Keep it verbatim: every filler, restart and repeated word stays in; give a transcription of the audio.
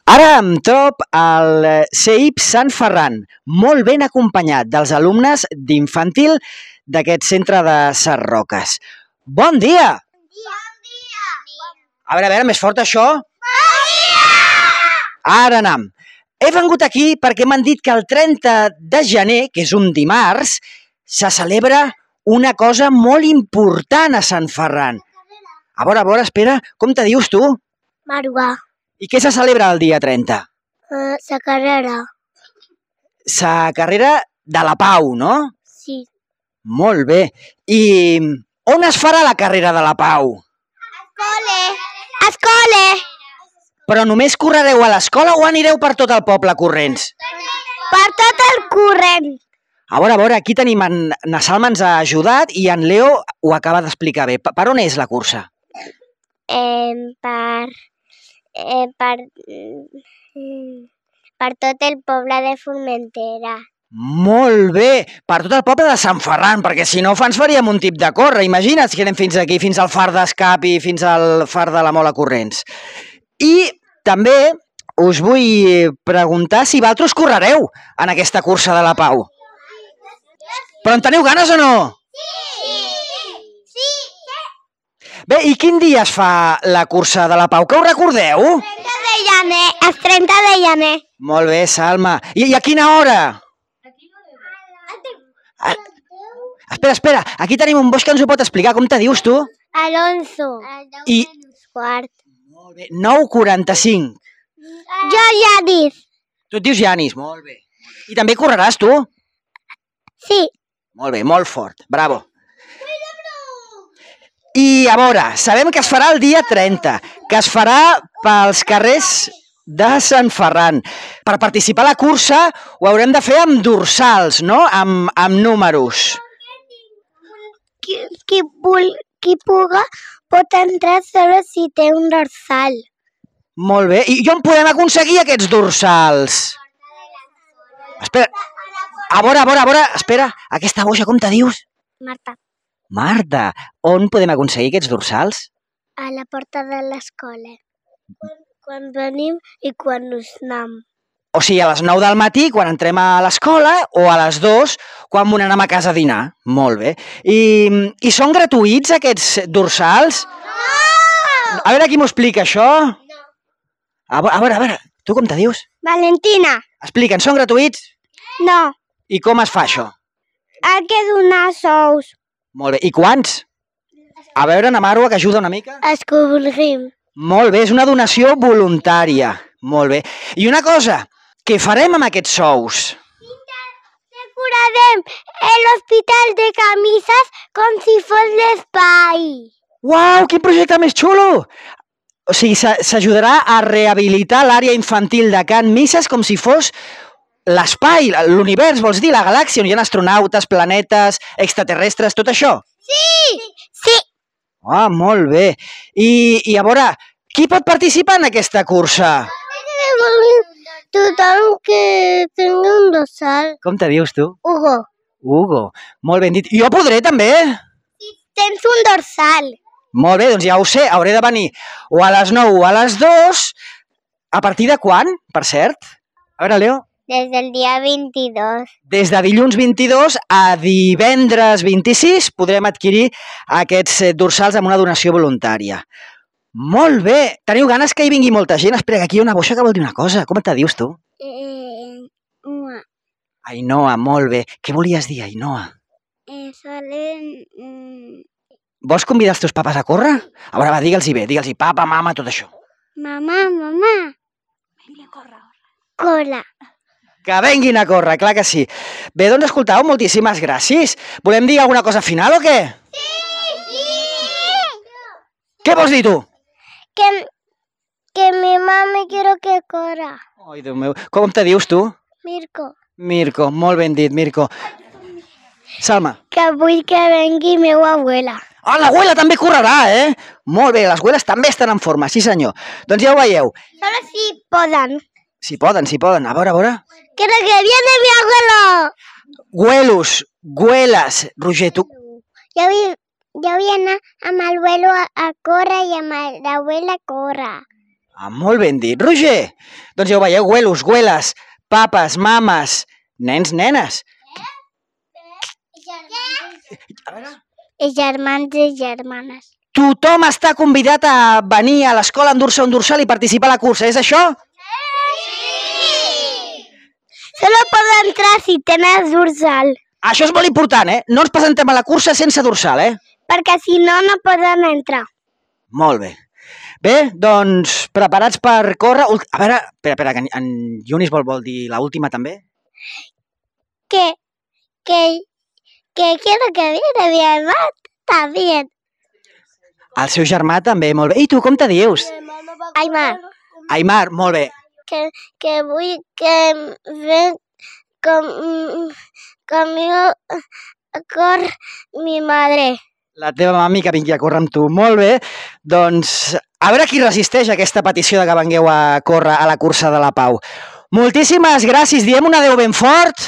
Ara em trob al C I P Sant Ferran, molt ben acompanyat dels alumnes d'infantil d'aquest centre de Sarroques. Bon dia! Bon dia! A veure, a veure, més fort això. Bon dia! Ara anem. He vengut aquí perquè m'han dit que el trenta de gener, que és un dimarts, se celebra una cosa molt important a Sant Ferran. A veure, a veure, espera, com te dius tu? Marua. I què se celebra el dia trenta? Uh, sa carrera. Sa carrera de la Pau, no? Sí. Molt bé. I on es farà la carrera de la Pau? Escole. Escole. Però només correreu a l'escola o anireu per tot el poble corrents? Per tot el corrent. A veure, a veure, aquí tenim en na Salma ens ha ajudat i en Leo ho acaba d'explicar bé. Per on és la cursa? Eh, per, eh, per, mm, per tot el poble de Formentera. Molt bé, per tot el poble de Sant Ferran, perquè si no ens faríem un tip de córrer. Imagina't que anem fins aquí, fins al far d'Escap i fins al far de la Mola Corrents. I també us vull preguntar si vosaltres correreu en aquesta cursa de la Pau. Però en teniu ganes o no? Sí! Sí! Bé, i quin dia es fa la cursa de la Pau? Que ho recordeu? trenta de gener. El trenta de gener. Molt bé, Salma. I, i a quina hora? Ah, espera, espera. Aquí tenim un boix que ens ho pot explicar. Com te dius, tu? Alonso. I- Quart. Molt bé. nou quaranta-cinc. Jo ja dic. Tu et dius Janis. Molt bé. I també correràs, tu? Sí. Molt bé, molt fort. Bravo. I a veure, sabem que es farà el dia trenta, que es farà pels carrers de Sant Ferran. Per participar a la cursa ho haurem de fer amb dorsals, no? Amb, amb números. Qui, qui, vul, qui puga pot entrar solo si té un dorsal. Molt bé. I on podem aconseguir aquests dorsals? Espera. A veure, a veure, a veure. Espera. Aquesta boixa, com te dius? Marta. Marta, on podem aconseguir aquests dorsals? A la porta de l'escola. Quan, quan venim i quan us anem. O sigui, a les nou del matí, quan entrem a l'escola, o a les dues, quan anem a casa a dinar. Molt bé. I, i són gratuïts, aquests dorsals? No! A veure qui m'ho explica, això. No. A, ve- a veure, a veure, tu com te dius? Valentina. Explica'ns, són gratuïts? No. I com es fa això? Ha que donar sous. Molt bé. I quants? A veure, na Marwa, que ajuda una mica. Els que vulguim. Molt bé, és una donació voluntària. Molt bé. I una cosa, què farem amb aquests sous? Decorarem l'hospital de camises com si fos l'espai. Uau, quin projecte més xulo! O sigui, s'a- s'ajudarà a rehabilitar l'àrea infantil de Can Misses com si fos l'espai, l'univers, vols dir, la galàxia, on hi ha astronautes, planetes, extraterrestres, tot això? Sí! Sí! Ah, molt bé. I, i a veure, qui pot participar en aquesta cursa? Tothom que tingui un dorsal. Com te dius, tu? Hugo, Hugo. Molt ben dit. Jo podré, també? tens un dorsal. Molt bé, doncs ja ho sé, hauré de venir o a les nou o a les dues. A partir de quan, per cert? A veure, Leo. Des del dia vint-i-dos. Des de dilluns vint-i-dos a divendres vint-i-sis podrem adquirir aquests eh, dorsals amb una donació voluntària. Molt bé. Teniu ganes que hi vingui molta gent? Espera, que aquí hi ha una boixa que vol dir una cosa. Com te dius, tu? Eh, una. Ainhoa, molt bé. Què volies dir, Ainhoa? Eh, solen... Mm, Vols convidar els teus papes a córrer? A veure, va, digue'ls-hi bé. Digue'ls-hi papa, mama, tot això. mamà, mamà. Cola. Que venguin a córrer, clar que sí. Bé, doncs escoltau, moltíssimes gràcies. Volem dir alguna cosa final o què? Sí! Què vols dir tu? Que, que mi mami quiero que corra. Ai, Déu meu. Com te dius tu? Mirko. Mirko, molt ben dit, Mirko. Salma. Que vull que vengui meva abuela. Ah, l'abuela també correrà, eh? Molt bé, les abueles també estan en forma, sí senyor. Doncs ja ho veieu. Solo si poden. Si poden, si poden. A veure, a veure. ¡Que que viene mi abuelo! Güelos, güeles. Roger, tu... Yo, vi, yo viene a mi abuelo a, a correr y a mi abuela corra. Ah, molt ben dit. Roger, doncs ja ho veieu, güelos, güeles, papes, mames, nens, nenes. I germans i germanes. Tothom està convidat a venir a l'escola a endur-se un dorsal i participar a la cursa, és això? Solo poden entrar si tenen dorsal. Això és molt important, eh? No ens presentem a la cursa sense dorsal, eh? Perquè si no, no poden entrar. Molt bé. Bé, doncs, preparats per córrer... A veure, espera, espera, que en Yunis vol, vol dir l'última també? Que, que, que quiero que viene mi hermano también. El seu germà també, molt bé. I tu, com te dius? Aimar. Aimar, molt bé. Que, que vull que ven com, conmigo a córrer mi madre. La teva mami que vingui a córrer amb tu. Molt bé. Doncs a veure qui resisteix a aquesta petició de que vengueu a córrer a la cursa de la Pau. Moltíssimes gràcies. Diem un adéu ben fort.